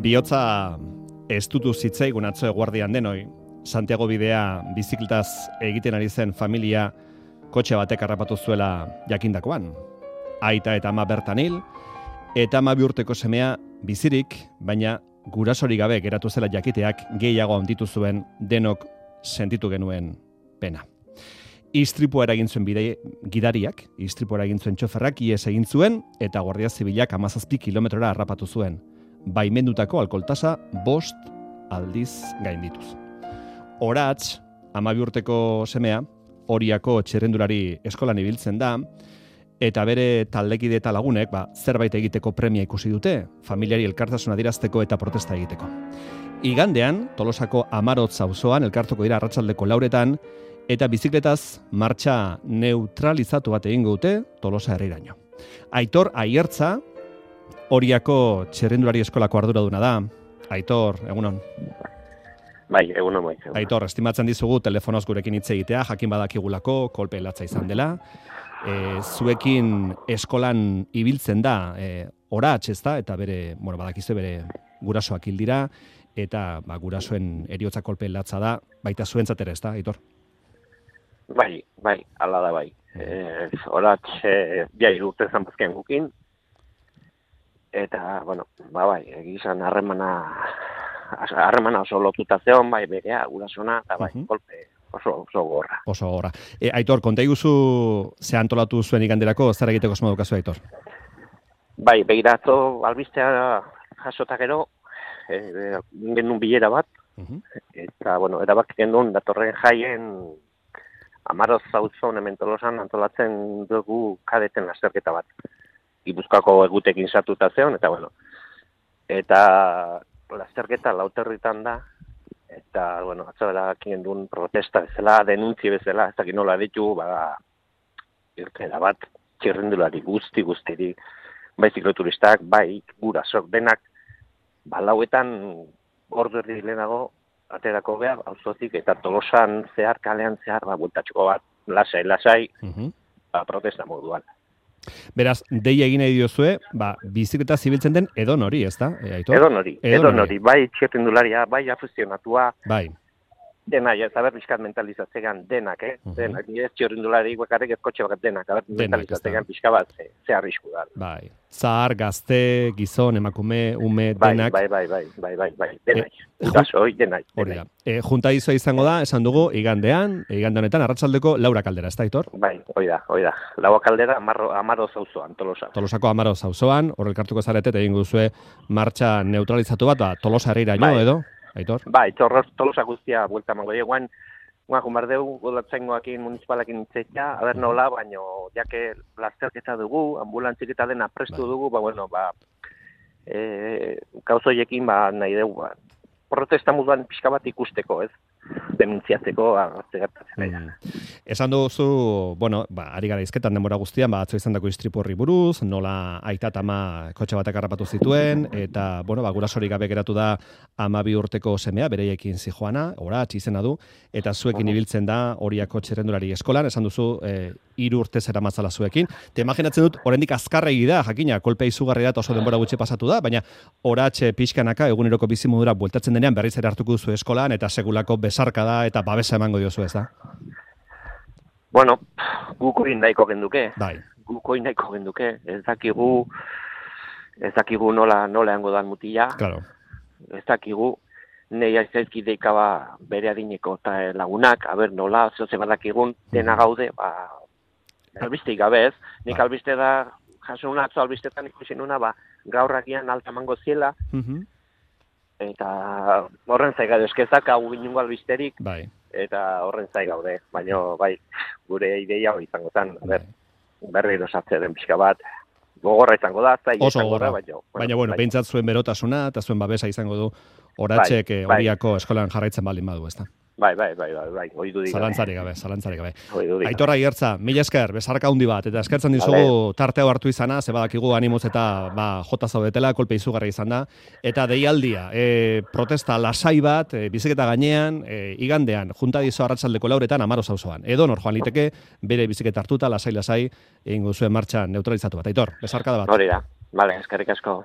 Bihotza estutu zitzaigun atzo eguardian denoi, Santiago bidea bizikletaz egiten ari zen familia kotxe batek harrapatu zuela jakindakoan. Aita eta ama bertan hil, eta 12 urteko semea bizirik, baina gurasorik gabe geratu zela jakiteak gehiago handitu zuen denok sentitu genuen pena. Istripua eragin zuen gidariak, istripua eragin zuen txoferrak ihes egin zuen eta Guardia Zibilak 17 kilometrora harrapatu zuen. Baimendutako alkoholtasa 5 aldiz gaindituz. Oratz, 12 urteko semea, Oriako txirrendulari eskolan ibiltzen da, eta bere taldekide eta lagunek zerbait egiteko premia ikusi dute, familiari elkartasuna adierazteko eta protesta egiteko. Igandean, Tolosako Amarotz auzoan elkartuko dira arratsaldeko 4etan, eta bizikletaz martxa neutralizatu bat egingo dute Tolosa herriraino. Aitor Aiertza, Oriako txirrendulari eskolako arduraduna da. Aitor, egunon. Bai, egunon bai. Aitor, estimatzen dizugu telefonoz gurekin hitz egitea, jakin badakigulako, kolpe latza izan dela. Zuekin eskolan ibiltzen da, Oratz, ezta? Eta bere, badakizue bere gurasoak hil dira, eta gurasoen heriotza kolpe latza da, baita zuentzat ere, ezta, Aitor? Bai, ala da bai. Oratz, jai urte zanbazken gukin, eta, bai, egizan harremana oso lotuta zeon, bai, berea, gurasona, eta bai, kolpe oso gorra. Oso gorra. Aitor, konta iguzu ze antolatu zuen iganderako, zer egiteko asmo daukazu, Aitor? Bai, begiratu albistea jasota gero, genuen bilera bat, eta, erabak genuen datorren jaien Amaroz zauzon hemen Tolosan antolatzen dugu kadeten lasterketa bat. Gipuzkoako egutekin sartuta zeon, eta lasterketa Lauterritan da, eta, atzabela duen protesta bezala, denuntzi bezala, ez dakit nola ditu, irtera bat, txirrendulari guztiri, bai zikloturistak, bai gurasok denak, lauetan ordu erdi lehenago, aterako behar, auzotik, eta Tolosan zehar, kalean zehar, bueltatxoko bat, lasai, protesta moduan. Beraz, deia egin nahi diozue, bizikleta zibiltzen den edonori, ez da, Aitor? Edonori, bai txirrendularia, bai afizionatua, bai. Dena, ez haber pixkat mentalizatzegan denak, denak, ez txirrendulari bakarrik ez kotxe bakat denak, mentalizatzegan pixka bat, ze arrisku da. Bai, zahar, gazte, gizon, emakume, ume, denak. Bai, denak, gurasoi, denak. Hori da. Junta izoa izango da, esan dugu, igande honetan, arratsaldeko 4 kaldera, ez da, Aitor? Bai, hori da. 4 kaldera, Amaroz auzoan, Tolosa. Tolosako Amaroz auzoan, hor elkartuko zarete, egin guzue martxa neutralizatu bat, Tolosa herriraino, edo? Aitor? Bai, Tolosa guztia buelta mango dieguan, jumardeu, godatzaingoakin, municipalakin itzetia, aber nola, baino, jake lasterketa dugu, ambulantzik eta dena prestu dugu, kauzoiekin, nahi dugu, protesta moduan pixka bat ikusteko, ez? Denuntziatzeko, gertatzen. Esan duzu, ari gara izketan denbora guztian, atzo izan dako istripu horri buruz, nola aita eta ama kotxe batek harrapatu zituen, eta, gurasorik gabe geratu da 12 urteko semea, bereiekin zijoana, Oratz izena du, eta zuekin ibiltzen da Oriako txirrendulari eskolan, esan duzu, 3 urte zera matzala zuekin. Te imaginatzen dut, oraindik azkarregi da, jakina, kolpea izugarri da, oso denbora gutxi pasatu da, baina Oratz pixkanaka eguneroko bizimodura bueltatzen denean berriz ere hartuko duzu eskolan, eta segulako besarka da, eta babesa emango diozu, ez da? Gukoin nahiko genduke. Bai. Gukoin nahiko genduke. Ez dakigu nola eango dan mutila. Claro. Ez dakigu nei aizkideka bere adineko eta lagunak, nola, zoze badakigun, dena gaude, albisteik gabe ez. Nik albiste da, jasun atzo albistetan ikusi nuna, gaurrakian alta mango ziela, eta horren zaiga eskezak hau binungo albisterik, eta horren zai gaude, baina gure ideia hori izango zen, berri erosatze den pixka bat, gogorra izango da, oso gogorra, baina behintzat zuen berotasuna eta zuen babesa izango du Oratzek Oriako eskolan jarraitzen baldin badu, ezta? Bai, oidu dira. Zalantzarik gabe. Aitor Aiertza, mila esker, besarka handi bat, eta eskertzen dizugu tarte hau hartu izana, ze badakigu animoz eta jota zaudetela, kolpe izugarri izan da, eta deialdia, protesta lasai bat, biziketa gainean, igandean, junta dizo arratsaldeko 4etan Amaroz auzoan. Edo nor joan liteke, bere biziketa hartuta, lasai, egingo zuen martxa neutralizatu bat. Aitor, besarka da bat. Hori da, eskerrik asko.